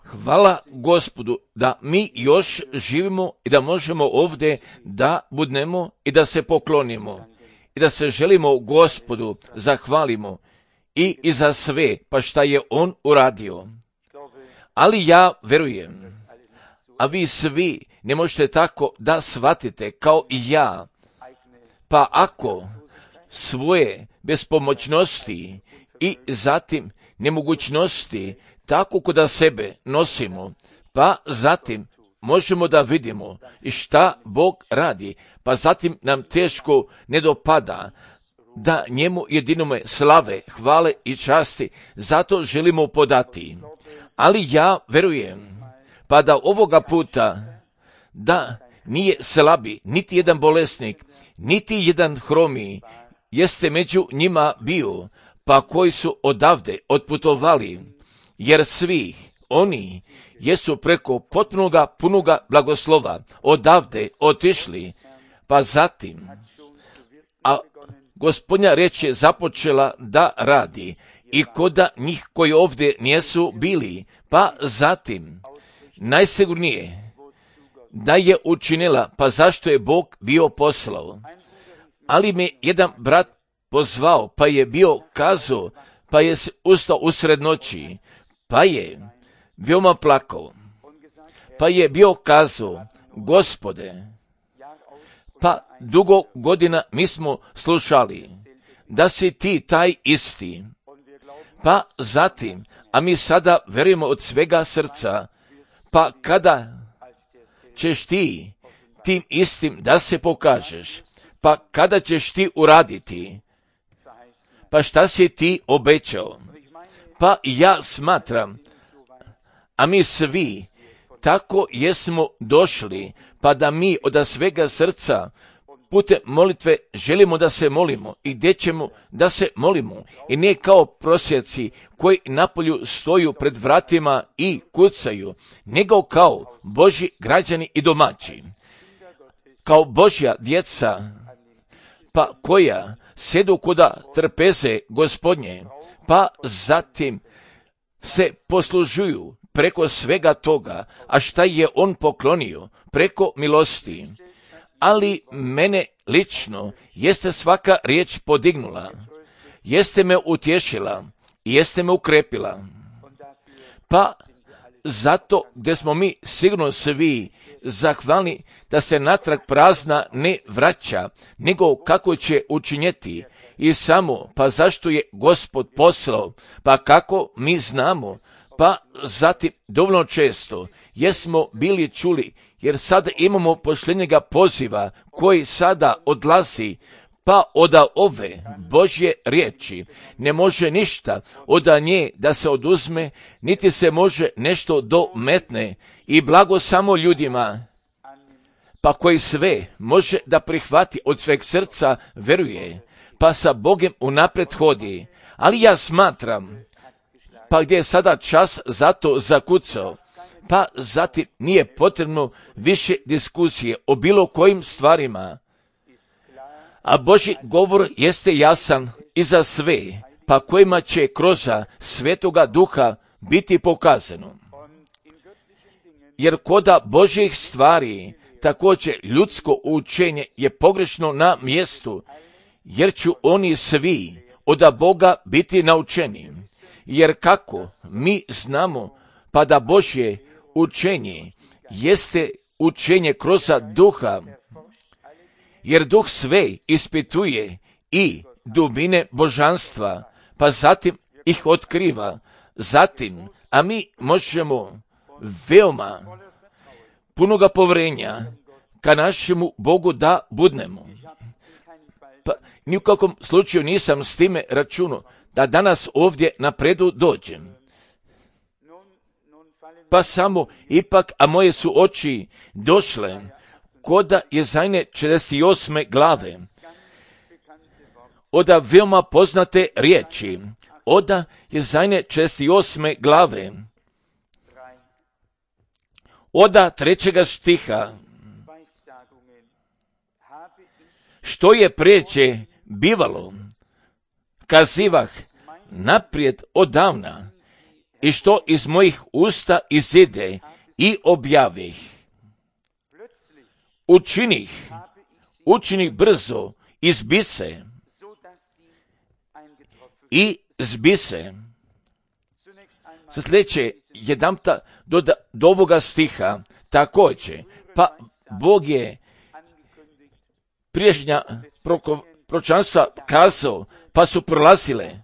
Hvala Gospodu da mi još živimo i da možemo ovdje da budemo i da se poklonimo i da se želimo Gospodu zahvalimo i za sve pa šta je On uradio. Ali ja verujem, a vi svi ne možete tako da shvatite kao i ja, pa ako svoje bespomoćnosti i zatim nemogućnosti tako kod sebe nosimo, pa zatim možemo da vidimo šta Bog radi, pa zatim nam teško ne dopada da njemu jedinome slave, hvale i časti, zato želimo podati. Ali ja verujem, pa da ovoga puta, da nije slabi, niti jedan bolesnik, niti jedan hromi, jeste među njima bio, pa koji su odavde otputovali, jer svi oni jesu preko potpunoga punoga blagoslova odavde otišli, pa zatim, a Gospodnja riječ je započela da radi i koda njih koji ovdje nisu bili, pa zatim najsigurnije da je učinila, pa zašto je Bog bio poslao. Ali me jedan brat pozvao, pa je bio kazao, pa je ustao usred noći, pa je veoma plakao, pa je bio kazao, Gospode, pa dugo godina mi smo slušali da si ti taj isti, pa zatim, a mi sada verujemo od svega srca, pa kada ćeš ti tim istim da se pokažeš, pa kada ćeš ti uraditi, pa šta si ti obećao, pa ja smatram, a mi svi tako jesmo došli, pa da mi od svega srca putem molitve želimo da se molimo i gdje ćemo da se molimo i ne kao prosjaci koji napolju stoju pred vratima i kucaju, nego kao Božji građani i domaći, kao Božja djeca, pa koja sjedu koda trpeze Gospodnje, pa zatim se poslužuju preko svega toga, a šta je On poklonio preko milosti. Ali mene lično jeste svaka riječ podignula, jeste me utješila, jeste me ukrepila. Pa zato gdje smo mi sigurno svi zahvalni da se natrag prazna ne vraća, nego kako će učinjeti i samo, pa zašto je Gospod poslao, pa kako mi znamo, pa zatim dovoljno često jesmo bili čuli, jer sada imamo posljednjega poziva koji sada odlazi, pa od ove Božje riječi ne može ništa od nje da se oduzme, niti se može nešto dometne i blago samo ljudima, pa koji sve može da prihvati od sveg srca veruje, pa sa Bogem unaprijed hodi. Ali ja smatram, pa gdje je sada čas za to zakucao, pa zatim nije potrebno više diskusije o bilo kojim stvarima. A Božji govor jeste jasan i za sve, pa kojima će kroz Svetoga Duha biti pokazano. Jer koda Božjih stvari također ljudsko učenje je pogrešno na mjestu, jer ću oni svi od Boga biti naučeni. Jer kako mi znamo, pa da Božje učenje jeste učenje kroz Duha, jer Duh sve ispituje i dubine božanstva, pa zatim ih otkriva. Zatim, a mi možemo veoma punoga povjerenja ka našemu Bogu da budnemo. Pa ni u kakvom slučaju nisam s time računao da danas ovdje napredu dođem. Pa samo ipak, a moje su oči došle koda Jezajne 48. glave, oda veoma poznate riječi, oda Jezajne 48. glave, oda 3. stiha, što je priječe bivalo, kazivah naprijed odavna, i što iz mojih usta izide i objavih. Učinih brzo, izbise i zbise. Sa sljedeće jedanputa do ovoga stiha također, pa Bog je priješnja proročanstva kazao, pa su prolazile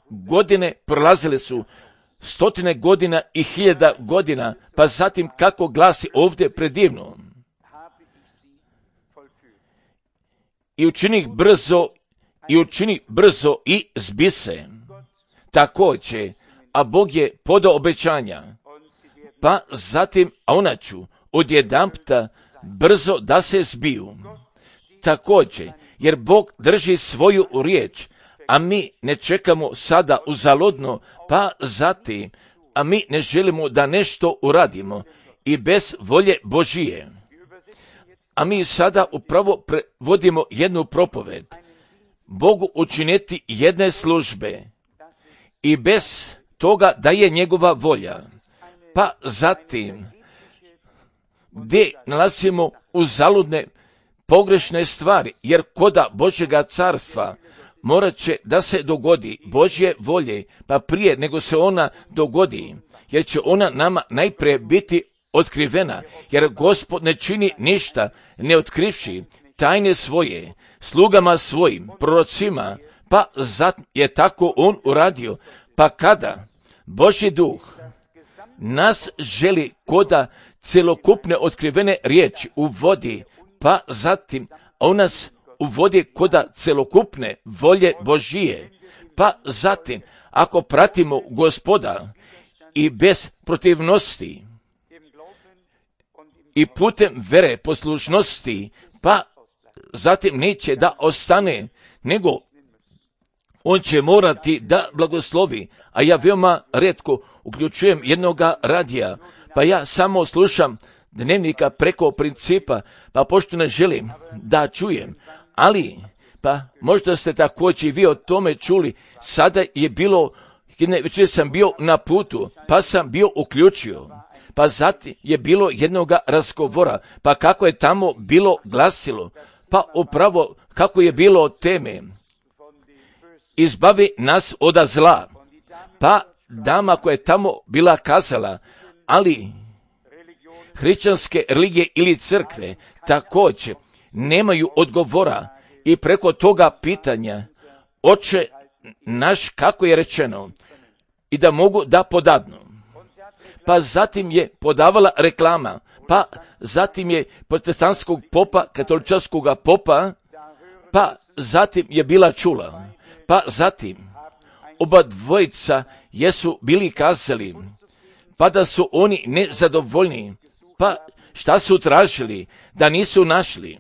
su stotine godina i 1000 godina, pa zatim kako glasi ovdje predivno. I učini brzo i zbise. Također, a Bog je podao obećanja, pa zatim, a ona ću odjedanputa brzo da se zbiju. Također, jer Bog drži svoju riječ, a mi ne čekamo sada uzaludno, pa zatim, a mi ne želimo da nešto uradimo i bez volje Božije. A mi sada upravo prevodimo jednu propoved. Bogu učiniti jedne službe i bez toga da je njegova volja. Pa zatim, gdje nalazimo uzaludne pogrešne stvari, jer koda Božjega carstva morat će da se dogodi Božje volje, pa prije nego se ona dogodi, jer će ona nama najprije biti otkrivena, jer Gospod ne čini ništa ne otkrivši tajne svoje slugama svojim, prorocima, pa zato je tako on uradio. Pa kada Božji duh nas želi koda celokupne otkrivene riječi uvodi, pa zatim on nas uvodi koda celokupne volje Božije, pa zatim ako pratimo Gospoda i bez protivnosti i putem vere poslušnosti, pa zatim neće da ostane, nego on će morati da blagoslovi. A ja veoma rijetko uključujem jednoga radija, pa ja samo slušam dnevnika preko principa, pa pošto ne želim da čujem, ali pa možda ste također vi o tome čuli, sada je bilo, jedne večer sam bio na putu, pa sam bio uključio, pa zatim je bilo jednoga razgovora, pa kako je tamo bilo glasilo, pa upravo kako je bilo teme, izbavi nas od zla, pa dama koja je tamo bila kazala, ali hrišćanske religije ili crkve također nemaju odgovora i preko toga pitanja Oče naš, kako je rečeno, i da mogu da podadnu. Pa zatim je podavala reklama, pa zatim je protestantskog popa, katoličanskog popa, pa zatim je bila čula, pa zatim oba dvojica jesu bili kazali, pa da su oni nezadovoljni, pa šta su tražili, da nisu našli,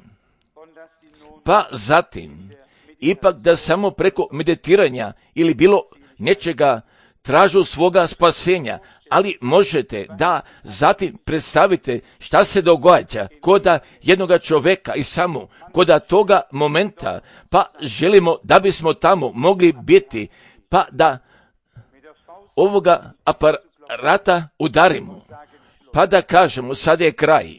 pa zatim ipak da samo preko meditiranja ili bilo nečega tražu svoga spasenja, ali možete da zatim predstavite šta se događa koda jednoga čoveka i samo koda toga momenta, pa želimo da bismo tamo mogli biti, pa da ovoga aparata udarimo, pa da kažemo sad je kraj,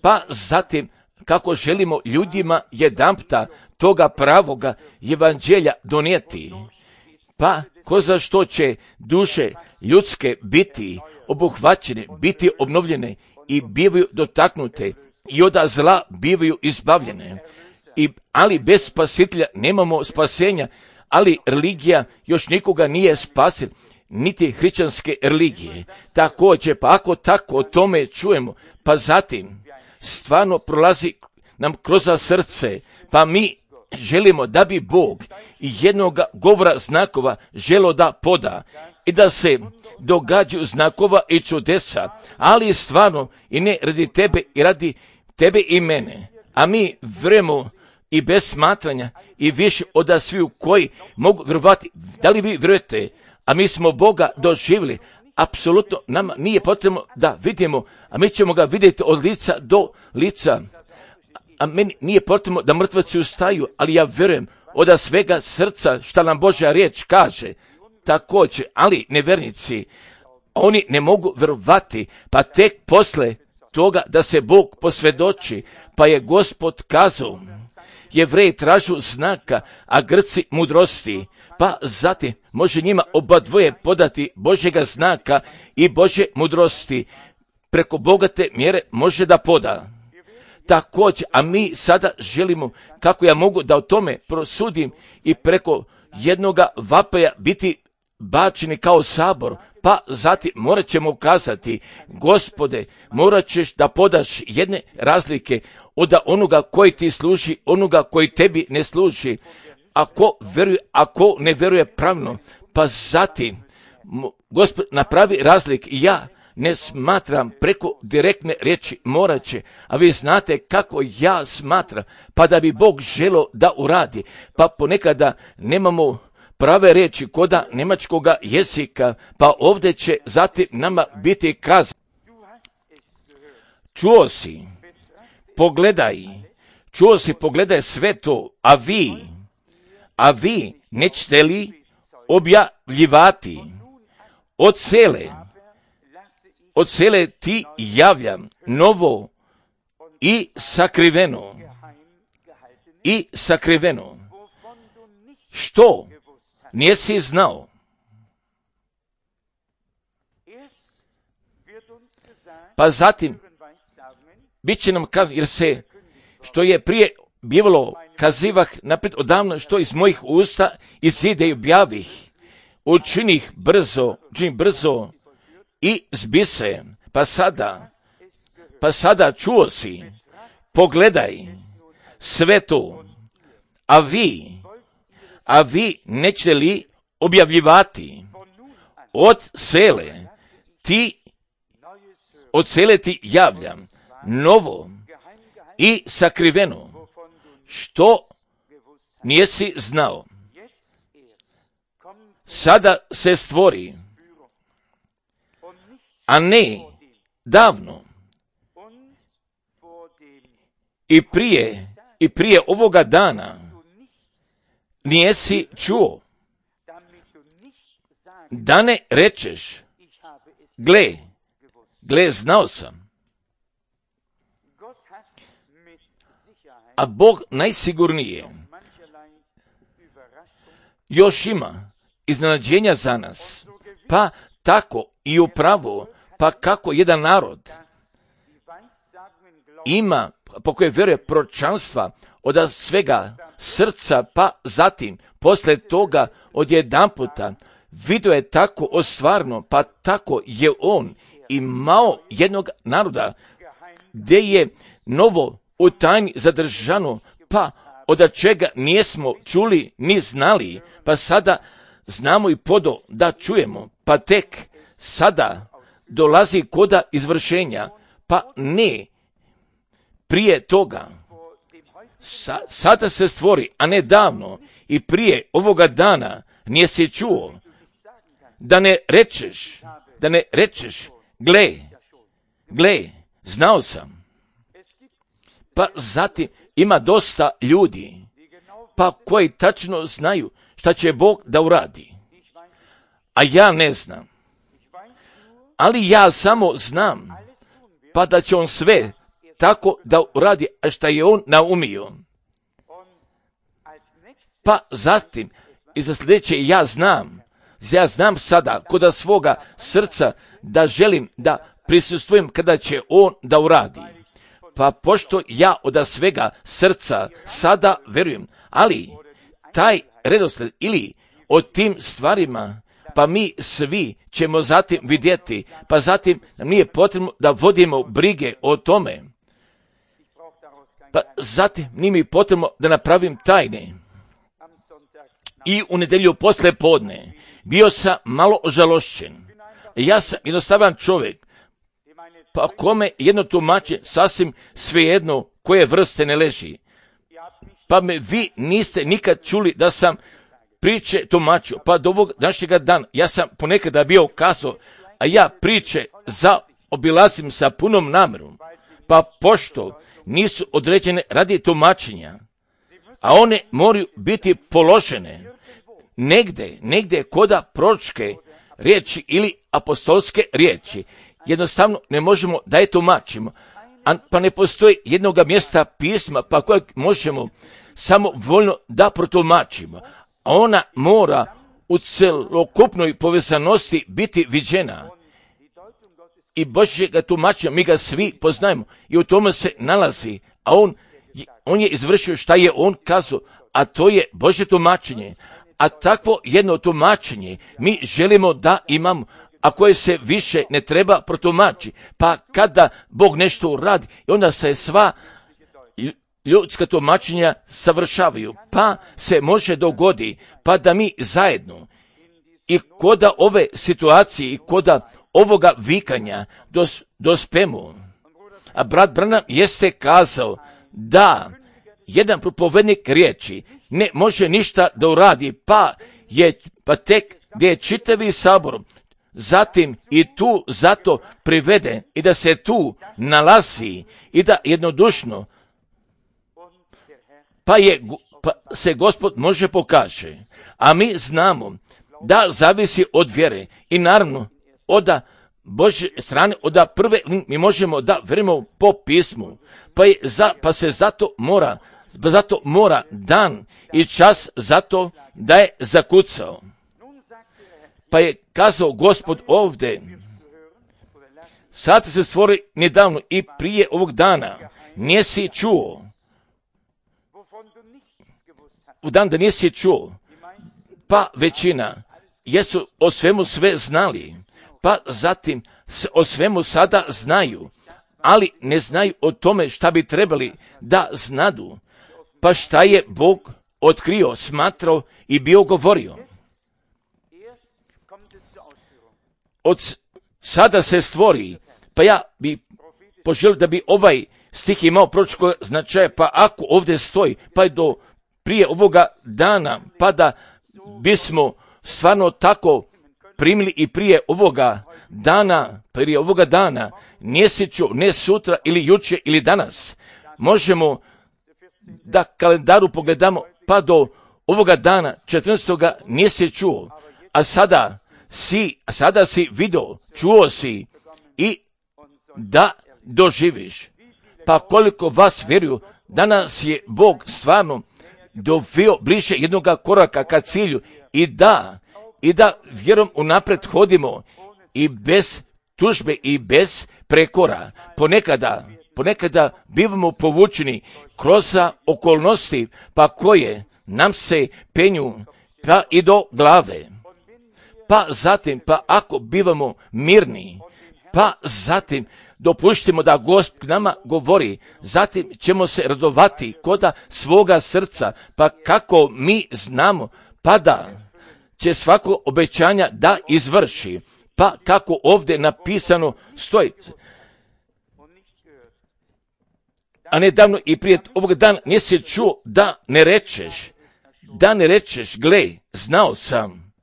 pa zatim kako želimo ljudima jedanputa toga pravoga evanđelja donijeti, pa ko za što će duše ljudske biti obuhvaćene, biti obnovljene i bivaju dotaknute i od zla bivaju izbavljene. Ali bez spasitelja nemamo spasenja, ali religija još nikoga nije spasila, niti hrišćanske religije. Također, pa ako tako o tome čujemo, pa zatim stvarno prolazi nam kroz srce, pa mi želimo da bi Bog jednog govora znakova želo da poda i da se događaju znakova i čudesa, ali stvarno i ne radi tebe i radi tebe i mene. A mi vjerujemo i bez smatranja i više od sviju koji mogu vjerovati. Da li vi vjerujete? A mi smo Boga doživjeli. Apsolutno nama nije potrebno da vidimo, a mi ćemo ga vidjeti od lica do lica. A meni nije potrebno da mrtvaci ustaju, ali ja vjerujem od svega srca šta nam Božja riječ kaže. također, ali nevjernici, oni ne mogu vjerovati, pa tek posle toga da se Bog posvjedoči, pa je Gospod kazao, Jevreji tražu znaka, a Grci mudrosti, pa zatim može njima oba dvoje podati Božjega znaka i Božje mudrosti, preko bogate mjere može da poda. Također, a mi sada želimo, kako ja mogu da o tome prosudim i preko jednoga vapaja biti bačeni kao sabor, pa zatim morat ćemo kazati, Gospode, morat ćeš da podaš jedne razlike od onoga koji ti služi, onoga koji tebi ne služi, ako veruje, ako ne veruje pravno, pa zatim, Gospod, napravi razlik i ja ne smatram preko direktne riječi morat će, a vi znate kako ja smatram, pa da bi Bog želio da uradi, pa ponekada nemamo prave riječi koda njemačkoga jezika, pa ovdje će zatim nama biti kazano. Čuo si, pogledaj sve to, a vi nećete li objavljivati od cele ti javljam novo i sakriveno, što nisi znao. Pa zatim, bit će nam kazano, jer se, što je prije bivalo, kazivah napred odavno, što iz mojih usta izide i objavih, učinih brzo i zbise, pa sada čuo si, pogledaj sve to, a vi nećete li objavljivati od cele ti javljam novo i sakriveno, što nisi znao. Sada se stvori, a ne davno, i prije ovoga dana nisi čuo, da ne rečeš, gle, znao sam. A Bog najsigurnije još ima iznenađenja za nas, pa tako i upravo, pa kako jedan narod ima, po koje vjeruje proročanstva od svega srca, pa zatim, posle toga odjedanputa, vidio je tako ostvarno, pa tako je on imao jednog naroda, gdje je novo u tajni zadržano, pa od čega nijesmo čuli ni znali, pa sada znamo i podo da čujemo, pa tek sada dolazi koda izvršenja, pa ne prije toga. Sada se stvori, a ne davno, i prije ovoga dana nisi čuo, da ne rečeš, gle, znao sam. Pa zatim ima dosta ljudi, pa koji tačno znaju šta će Bog da uradi. A ja ne znam. Ali ja samo znam, pa da će on sve tako da uradi, a šta je on naumio. Pa zatim, i za sljedeće ja znam sada kod svoga srca da želim da prisustvujem kada će on da uradi. Pa pošto ja od svega srca sada verujem, ali taj redoslijed ili o tim stvarima, pa mi svi ćemo zatim vidjeti, pa zatim nam nije potrebno da vodimo brige o tome. Pa zatim nije mi potrebno da napravim tajne. I u nedjelju posle podne bio sam malo ožalošćen. Ja sam jednostavan čovjek, pa kome jedno tumače sasvim svejedno koje vrste ne leži. Pa me vi niste nikad čuli da sam priče tumačio, pa do ovog današnjega dana ja sam ponekada bio kazao, a ja priče zaobilazim sa punom namjerom, pa pošto nisu određene radi tumačenja, a one moraju biti položene, negde koda proročke riječi ili apostolske riječi. Jednostavno ne možemo da je tumačimo, pa ne postoji jednoga mjesta pisma pa kojeg možemo samo voljno da protumačimo. A ona mora u celokupnoj povezanosti biti viđena. I Božjega tumačenja mi ga svi poznajemo i u tome se nalazi, a on je izvršio šta je on kazao, a to je Božje tumačenje. A takvo jedno tumačenje mi želimo da imamo, a koje se više ne treba protumači. Pa kada Bog nešto uradi, onda se sva ljudska tumačenja savršavaju, pa se može dogodi, pa da mi zajedno i koda ove situacije i koda ovoga vikanja dospemo. A brat Branham jeste kazao da jedan propovednik riječi ne može ništa da uradi, pa tek gdje je čitavi sabor zatim i tu zato privede i da se tu nalazi i da jednodušno pa se Gospod može pokaže. A mi znamo da zavisi od vjere i naravno od Božje strane, od prve mi možemo da vjerujemo po pismu, pa se zato mora dan i čas zato da je zakucao. Pa je kazao Gospod ovdje, sad se stvori nedavno i prije ovog dana, nisi čuo, u dan da nisi čuo, pa većina jesu o svemu sve znali, pa zatim o svemu sada znaju, ali ne znaju o tome šta bi trebali da znadu, pa šta je Bog otkrio, smatrao i bio govorio. Od sada se stvori, pa ja bi poželio da bi ovaj stih imao proročkog značaja, pa ako ovdje stoji, pa je do prije ovoga dana, pa da bismo stvarno tako primili i prije ovoga dana, mjeseću, ne sutra ili jučer ili danas. Možemo da kalendaru pogledamo, pa do ovoga dana, 14. nisi čuo, a sada si vidio, čuo si i da doživiš. Pa koliko vas vjeruju, danas je Bog stvarno doveo bliže jednoga koraka ka cilju i da vjerom unaprijed hodimo i bez tužbe i bez prekora. Ponekada bivamo povučeni kroz okolnosti pa koje nam se penju pa i do glave. Pa zatim, pa ako bivamo mirni, pa zatim dopuštimo da Gospod nama govori, zatim ćemo se radovati koda svoga srca, pa kako mi znamo, pa da će svako obećanja da izvrši, pa kako ovdje napisano stoji. A nedavno i prije ovog dana nisi čuo da ne rečeš, gle, znao sam.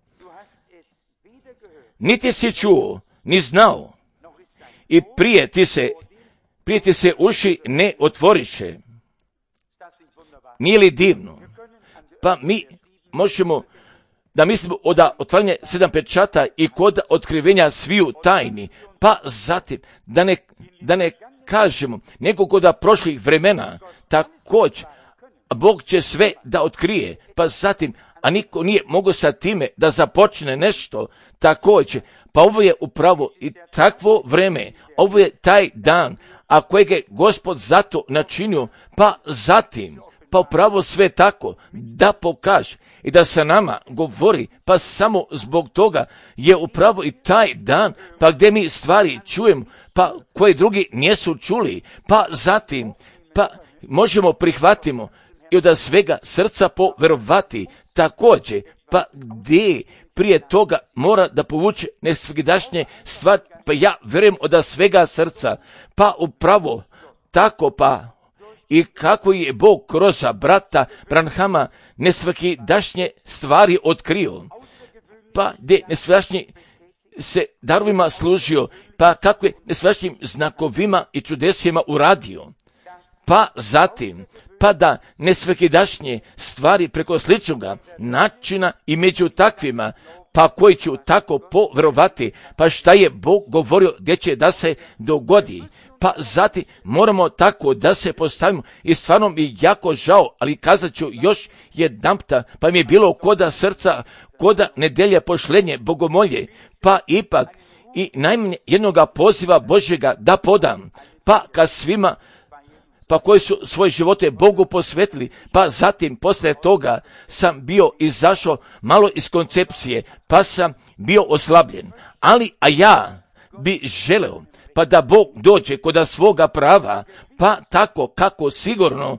Niti si čuo, ni znao. I prije ti se uši ne otvoriše. Nije li divno? Pa mi možemo da mislimo od otvaranja 7 pečata i kod otkrivenja sviju tajni, pa zatim da ne kažemo nego kod prošlih vremena, također Bog će sve da otkrije, pa zatim, a niko nije mogao sa time da započne nešto, također, pa ovo je upravo i takvo vreme, ovo je taj dan, a kojeg je Gospod zato načinio, pa zatim, pa upravo sve tako, da pokaže i da sa nama govori, pa samo zbog toga je upravo i taj dan, pa gdje mi stvari čujemo, pa koji drugi nisu čuli, pa zatim, pa možemo prihvatimo i od svega srca poverovati, također, pa gdje prije toga mora da povuče nesvakidašnje stvari, pa ja vjerujem od svega srca, pa upravo tako, pa i kako je Bog kroz brata Branhama nesvakidašnje stvari otkrio, pa gdje nesvakidašnje se darovima služio, pa kako je nesvakidašnjim znakovima i čudesima uradio. Pa zatim, pa da nesvakidašnje stvari preko sličnoga načina i među takvima, pa koji ću tako poverovati, pa šta je Bog govorio gdje će da se dogodi. Pa zatim moramo tako da se postavimo i stvarno mi je jako žao, ali kazat ću još jedanputa, pa mi je bilo koda srca, koda nedelje pošlenje, bogomolje, pa ipak i najmanje jednoga poziva Božjega da podam, pa kad svima, pa koji su svoje živote Bogu posvetili, pa zatim poslije toga sam bio izašao malo iz koncepcije, pa sam bio oslabljen, a ja bi želeo pa da Bog dođe kod svoga prava, pa tako kako sigurno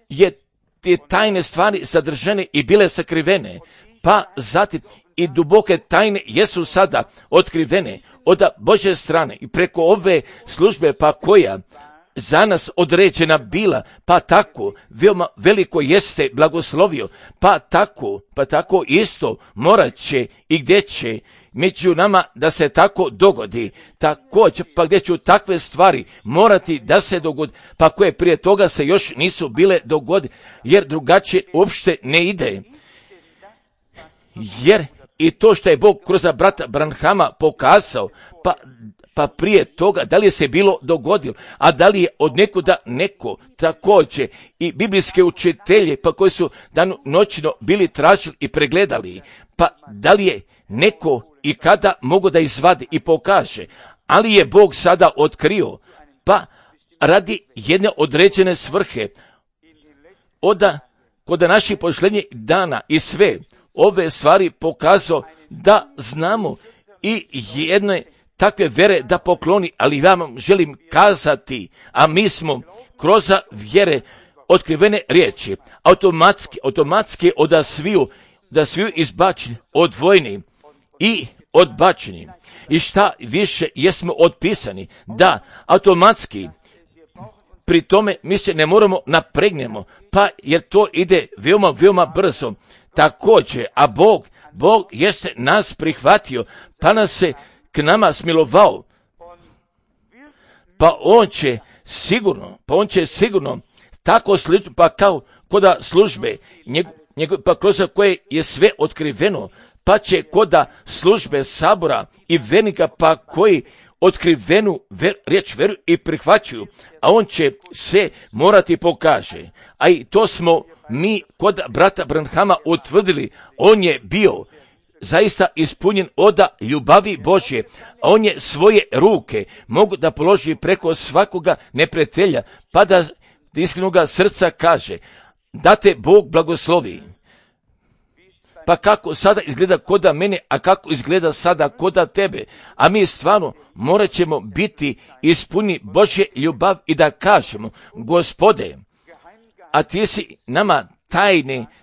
je te tajne stvari sadržane i bile sakrivene, pa zatim i duboke tajne jesu sada otkrivene od Božje strane i preko ove službe pa koja za nas određena bila, pa tako veoma veliko jeste blagoslovio, pa tako isto morat će i gdje će među nama da se tako dogodi, također pa gdje ću takve stvari morati da se dogodi, pa koje prije toga se još nisu bile dogodi, jer drugačije uopšte ne ide. Jer i to što je Bog kroz brata Branhama pokazao, pa prije toga, da li je se bilo dogodilo, a da li je od nekuda neko također i biblijske učitelje, pa koji su noćno bili tražili i pregledali, pa da li je neko i kada mogu da izvadi i pokaže, ali je Bog sada otkrio, pa radi jedne određene svrhe, kod naših pošlenjih dana i sve ove stvari pokazao da znamo i jedne takve vere da pokloni, ali ja vam želim kazati, a mi smo kroz vjere otkrivene riječi, automatski da sviju izbačeni, odvojeni i odbačeni. I šta više jesmo otpisani, da automatski pri tome mi se ne moramo napregnemo, pa jer to ide veoma, veoma brzo. Također, a Bog jeste nas prihvatio, pa nas se k nama smilovao, pa on će sigurno tako slično, pa kao koda službe, pa kroz koje je sve otkriveno, pa će koda službe sabora i vernika, pa koji otkrivenu riječ veruju i prihvaćaju, a on će se morati pokaže. A i to smo mi kod brata Branhama utvrdili, on je bio zaista ispunjen od ljubavi Božje, a on je svoje ruke mogu da položi preko svakoga neprijatelja, pa da iskrenoga srca kaže, da te Bog blagoslovi. Pa kako sada izgleda koda mene, a kako izgleda sada koda tebe, a mi stvarno morat ćemo biti ispunjeni Božje ljubav i da kažemo, Gospode, a ti si nama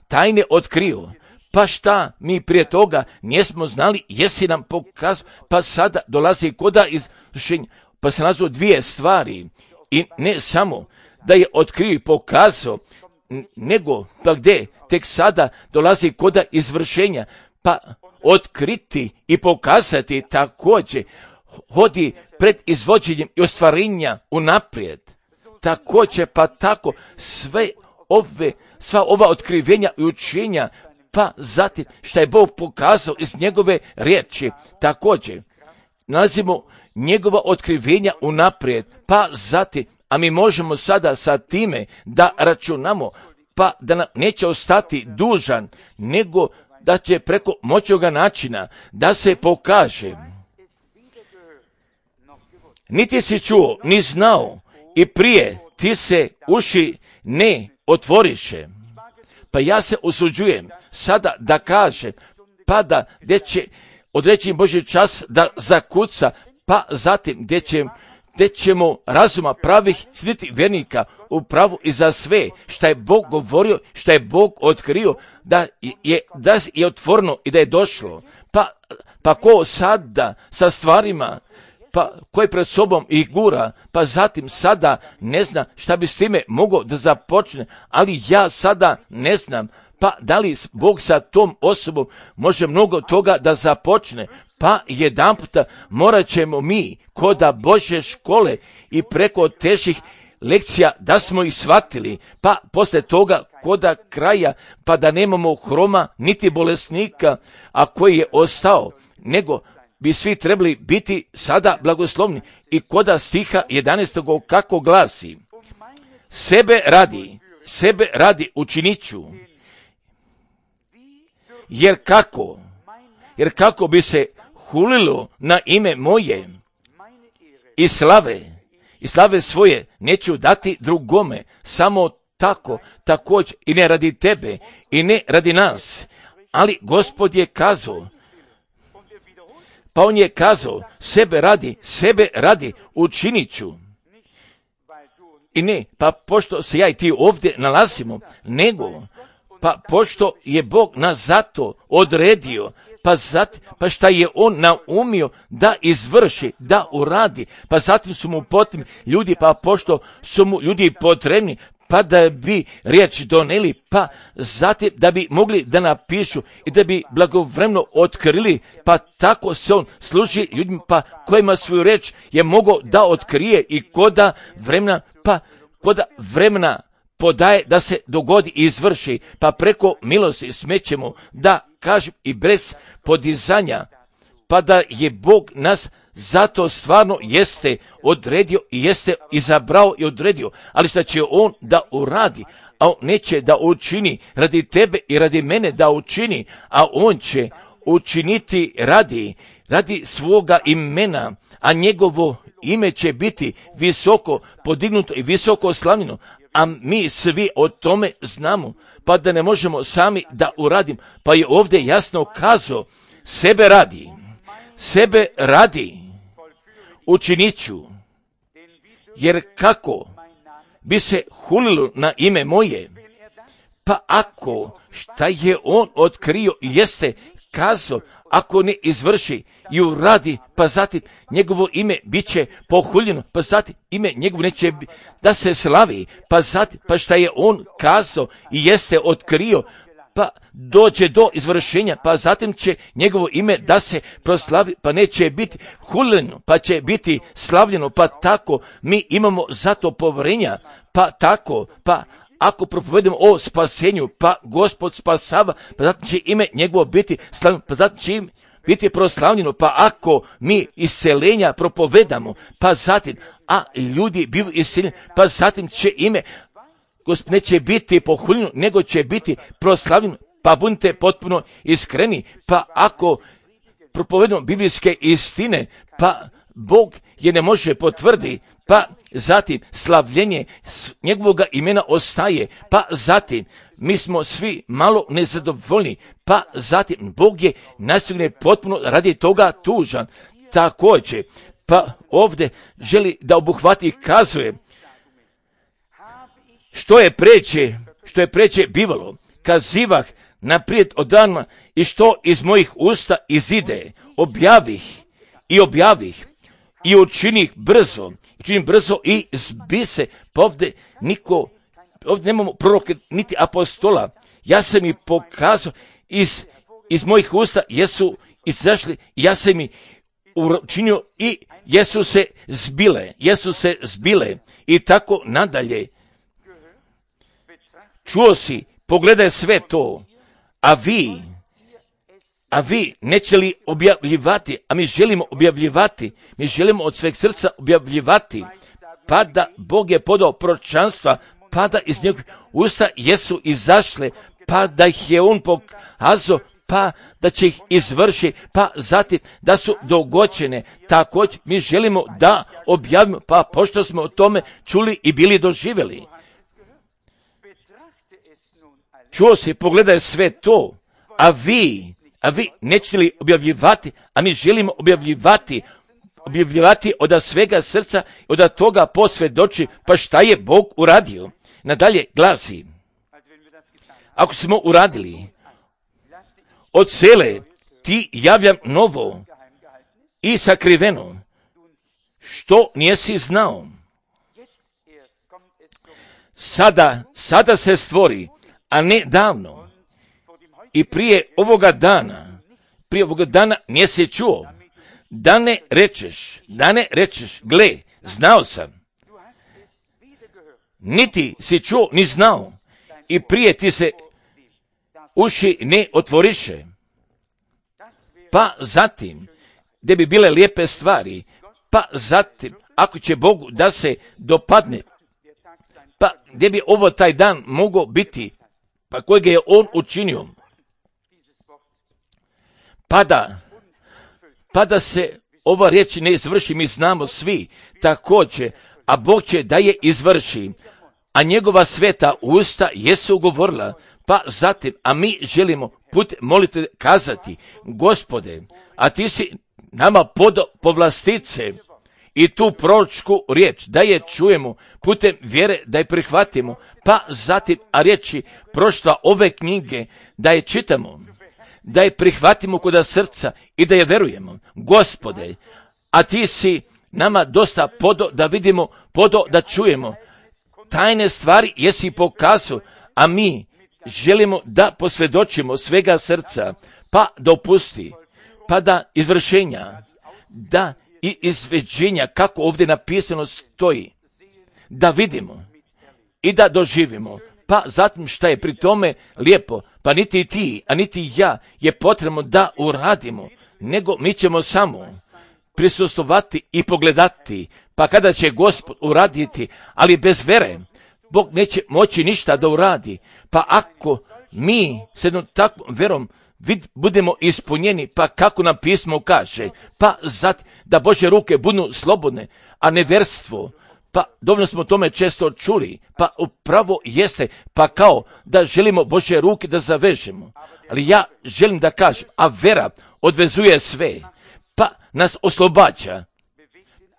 tajne otkrio, pa šta mi prije toga nismo znali, jesi nam pokazao, pa sada dolazi koda izvršenja, pa se nazvao dvije stvari i ne samo da je otkrio i pokazao, nego pa gdje tek sada dolazi koda izvršenja, pa otkriti i pokazati također hodi pred izvođenjem i ostvarenja unaprijed. Također pa tako sva ova otkrivenja i učenja, pa zatim što je Bog pokazao iz njegove riječi, također nalazimo njegova otkrivenja unaprijed, pa zatim, a mi možemo sada sa time da računamo, pa da nam neće ostati dužan, nego da će preko moćnoga načina da se pokaže. Niti si čuo, ni znao, i prije ti se uši ne otvoriše. Pa ja se usuđujem sada da kažem, pa da gdje će određeni Božji čas da zakuca, pa zatim gdje ćemo razuma pravih sliti vernika u pravu i za sve što je Bog govorio, što je Bog otkrio, da je otvoreno i da je došlo. Pa ko sada sa stvarima, pa koji pred sobom ih gura, pa zatim sada ne zna šta bi s time mogao da započne, ali ja sada ne znam, pa da li Bog sa tom osobom može mnogo toga da započne, pa jedanputa morat ćemo mi koda Božje škole i preko težih lekcija da smo ih shvatili, pa poslije toga koda kraja, pa da nemamo hroma niti bolesnika, a koji je ostao, nego bi svi trebali biti sada blagoslovni. I koda stiha 11. kako glasi: sebe radi učinit ću, jer kako bi se hulilo na ime moje i slave svoje neću dati drugome, samo tako, također i ne radi tebe i ne radi nas. Ali Gospod je kazao, pa on je kazao, sebe radi učinit ću. I ne, pa pošto se ja i ti ovdje nalazimo, nego, pa pošto je Bog nas zato odredio, pa šta je on naumio da izvrši, da uradi, pa zatim su mu potrebni ljudi, pa pošto su mu ljudi potrebni, pa da bi riječ doneli, pa zatim da bi mogli da napišu i da bi blagovremeno otkrili, pa tako se on služi ljudima, pa kojima svoju riječ je mogao da otkrije i koda vremena podaje da se dogodi i izvrši, pa preko milosti smećemo da kažem i bez podizanja, pa da je Bog nas zato stvarno jeste odredio i jeste izabrao i odredio, ali što će on da uradi, a on neće da učini radi tebe i radi mene da učini, a on će učiniti radi svoga imena, a njegovo ime će biti visoko podignuto i visoko slavljeno, a mi svi o tome znamo, pa da ne možemo sami da uradim, pa je ovdje jasno kazao, sebe radi učinit ću, jer kako bi se hulilo na ime moje, pa ako šta je on otkrio jeste kazao, ako ne izvrši i uradi, pa zatim njegovo ime bit će pohuljeno, pa zatim ime njegovo neće da se slavi, pa zatim, pa šta je on kazao i jeste otkrio, pa dođe do izvršenja, pa zatim će njegovo ime da se proslavi, pa neće biti huljeno, pa će biti slavljeno, pa tako mi imamo zato povjerenja, pa tako, pa ako propovedemo o spasenju, pa Gospod spasava, pa zatim će ime njegovo biti slavljeno, pa zatim će biti proslavljeno, pa ako mi isceljenja propovedamo, pa zatim, a ljudi bivaju isceljeni, pa zatim će ime Gospod neće biti pohuljeno, nego će biti proslavljeno, pa budite potpuno iskreni, pa ako propovedamo biblijske istine, pa Bog je ne može potvrdi, pa zatim slavljenje njegovog imena ostaje, pa zatim mi smo svi malo nezadovoljni, pa zatim Bog je nasigurno potpuno radi toga tužan. Također, pa ovdje želi da obuhvati i kazuje što je preče bivalo, kazivah naprijed od dana i što iz mojih usta izide, objavih i učinih brzo i zbi se, pa ovdje nemamo proroke niti apostola, ja sam i pokazao iz mojih usta jesu izašli, ja sam i učinio i jesu se zbile i tako nadalje. Čuo si, pogledaj sve to, a vi neće li objavljivati, a mi želimo objavljivati, mi želimo od sveg srca objavljivati, pa da Bog je podao proročanstva, pa da iz njegovih usta jesu izašle, pa da ih je on pokazao, pa da će ih izvrši, pa zatim da su dogođene. Također mi želimo da objavimo, pa pošto smo o tome čuli i bili doživjeli. Čuo si, pogledaj sve to, a vi nećete li objavljivati, a mi želimo objavljivati od svega srca, od toga posvjedoči, pa šta je Bog uradio. Nadalje glasi, ako smo uradili, od sele ti javljam novo i sakriveno, što nijesi znao. Sada se stvori, a ne davno. I prije ovoga dana nisi čuo, da ne rečeš, gle, znao sam. niti si čuo ni znao i prije ti se uši ne otvoriše. Pa zatim, gdje bi bile lijepe stvari, pa zatim, ako će Bogu da se dopadne, pa gdje bi ovo taj dan mogao biti, pa kojeg je on učinio, pa da se ova riječ ne izvrši, mi znamo svi također, a Bog će da je izvrši, a njegova sveta usta jesu govorila, pa zatim, a mi želimo put molite kazati, Gospode, a ti si nama podao povlastice i tu proročku riječ, da je čujemo putem vjere, da je prihvatimo, pa zatim, a riječi proštva ove knjige, da je čitamo, da je prihvatimo kod srca i da je verujemo. Gospode, a ti si nama dosta podao da vidimo, podao da čujemo, tajne stvari jesi pokazao, a mi želimo da posvjedočimo svega srca, pa dopusti, pa da izvršenja, da i izveđenja, kako ovdje napisano stoji, da vidimo i da doživimo. Pa zatim šta je pri tome lijepo, pa niti ti, a niti ja je potrebno da uradimo, nego mi ćemo samo prisustvovati i pogledati, pa kada će Gospod uraditi, ali bez vere, Bog neće moći ništa da uradi, pa ako mi s jednom takvom verom budemo ispunjeni, pa kako nam pismo kaže, pa zatim da Božje ruke budu slobodne, a neverstvo, pa dovoljno smo o tome često čuli, pa upravo jeste, pa kao da želimo Božje ruke da zavežemo, ali ja želim da kažem, a vera odvezuje sve, pa nas oslobađa,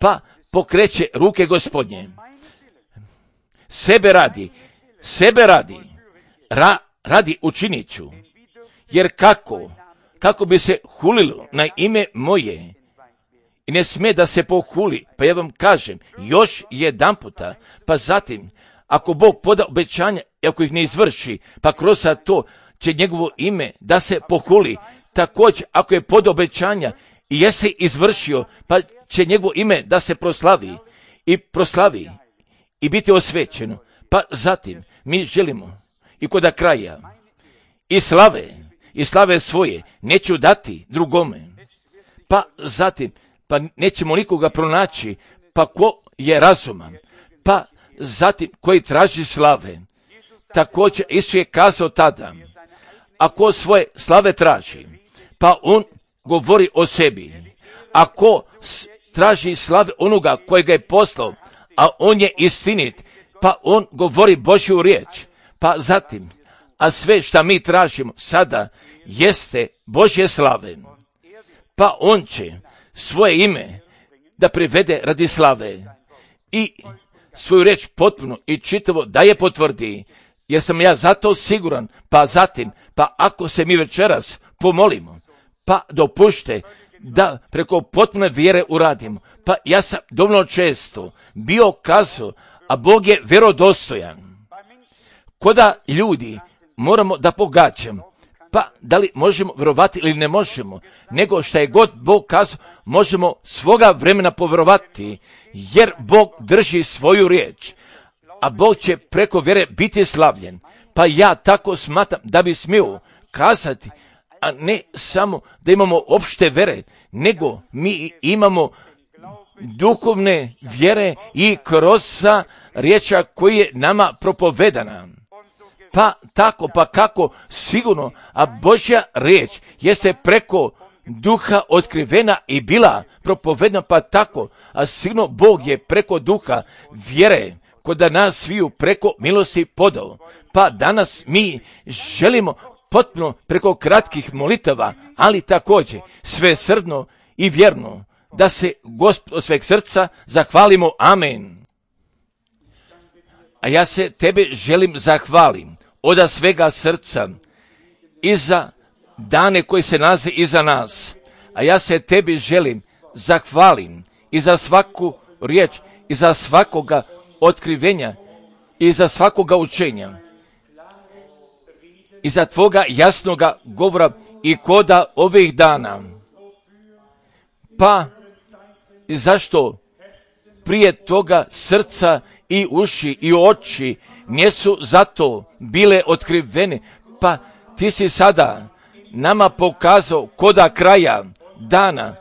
pa pokreće ruke Gospodnje. Sebe radi, radi učinit ću, jer kako bi se hulilo na ime moje, i ne sme da se pohuli, pa ja vam kažem, još jedan puta, pa zatim, ako Bog poda obećanja, i ako ih ne izvrši, pa kroz to će njegovo ime da se pohuli, također, ako je poda obećanja i jesi izvršio, pa će njegovo ime da se proslavi i biti osvećeno, pa zatim, mi želimo i kod kraja, i slave svoje neću dati drugome, pa zatim, pa nećemo nikoga pronaći, pa ko je razuman, pa zatim koji traži slave. Također Isus je kazao tada, ako svoje slave traži, pa on govori o sebi, ako traži slave onoga koji ga je poslao, a on je istinit, pa on govori Božju riječ, pa zatim, a sve što mi tražimo sada jeste Božje slave, pa on će svoje ime da privede radi slave i svoju riječ potpuno i čitavo da je potvrdi, jer sam ja zato siguran, pa zatim, pa ako se mi večeras pomolimo, pa dopušte da preko potpune vjere uradimo, pa ja sam dovoljno često bio kazao, a Bog je vjerodostojan. Koda ljudi moramo da pogađamo, pa da li možemo vjerovati ili ne možemo, nego šta je god Bog kazao, možemo svoga vremena povjerovati, jer Bog drži svoju riječ, a Bog će preko vjere biti slavljen. Pa ja tako smatram da bi smio kazati, a ne samo da imamo opšte vjere, nego mi imamo duhovne vjere i kroz riječa koji je nama propovedana. Pa tako, pa kako sigurno, a Božja riječ jeste preko duha otkrivena i bila propovedna, pa tako, a sigurno Bog je preko duha vjere kod nas sviju preko milosti podao. Pa danas mi želimo potpuno preko kratkih molitava, ali također svesrdno i vjerno da se Gospod od sveg srca zahvalimo. Amen. A ja se tebe želim zahvalim od svega srca i za dane koji se nalaze iza nas. A ja se tebi želim zahvalim i za svaku riječ, i za svakoga otkrivenja, i za svakoga učenja, i za tvoga jasnoga govora i koda ovih dana. Pa i zašto prije toga srca i uši i oči nisu zato bile otkrivene, pa ti si sada nama pokazao koda kraja dana,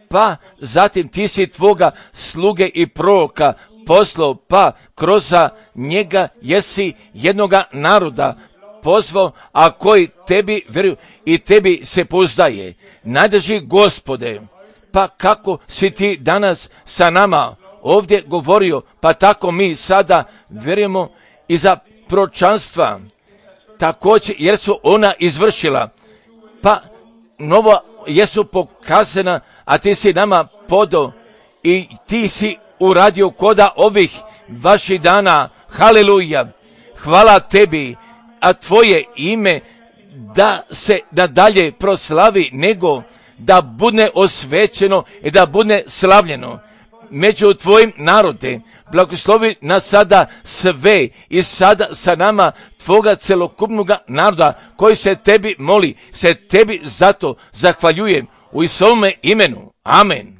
pa zatim ti si tvoga sluge i proroka poslao, pa kroz njega jesi jednoga naroda pozvao, a koji tebi vjeruju i tebi se pouzdaje. Najdrži Gospode, pa kako si ti danas sa nama ovdje govorio, pa tako mi sada vjerujemo i za proročanstva također, jer su ona izvršila, pa novo jesu pokazana, a ti si nama podao i ti si uradio koda ovih vaših dana. Haleluja, hvala tebi, a tvoje ime da se nadalje proslavi, nego da bude osvećeno i da bude slavljeno među tvojim narode. Blagoslovi nas sada sve i sada sa nama tvoga celokupnog naroda koji se tebi moli, se tebi zato zahvaljujem u Isusovome imenu. Amen.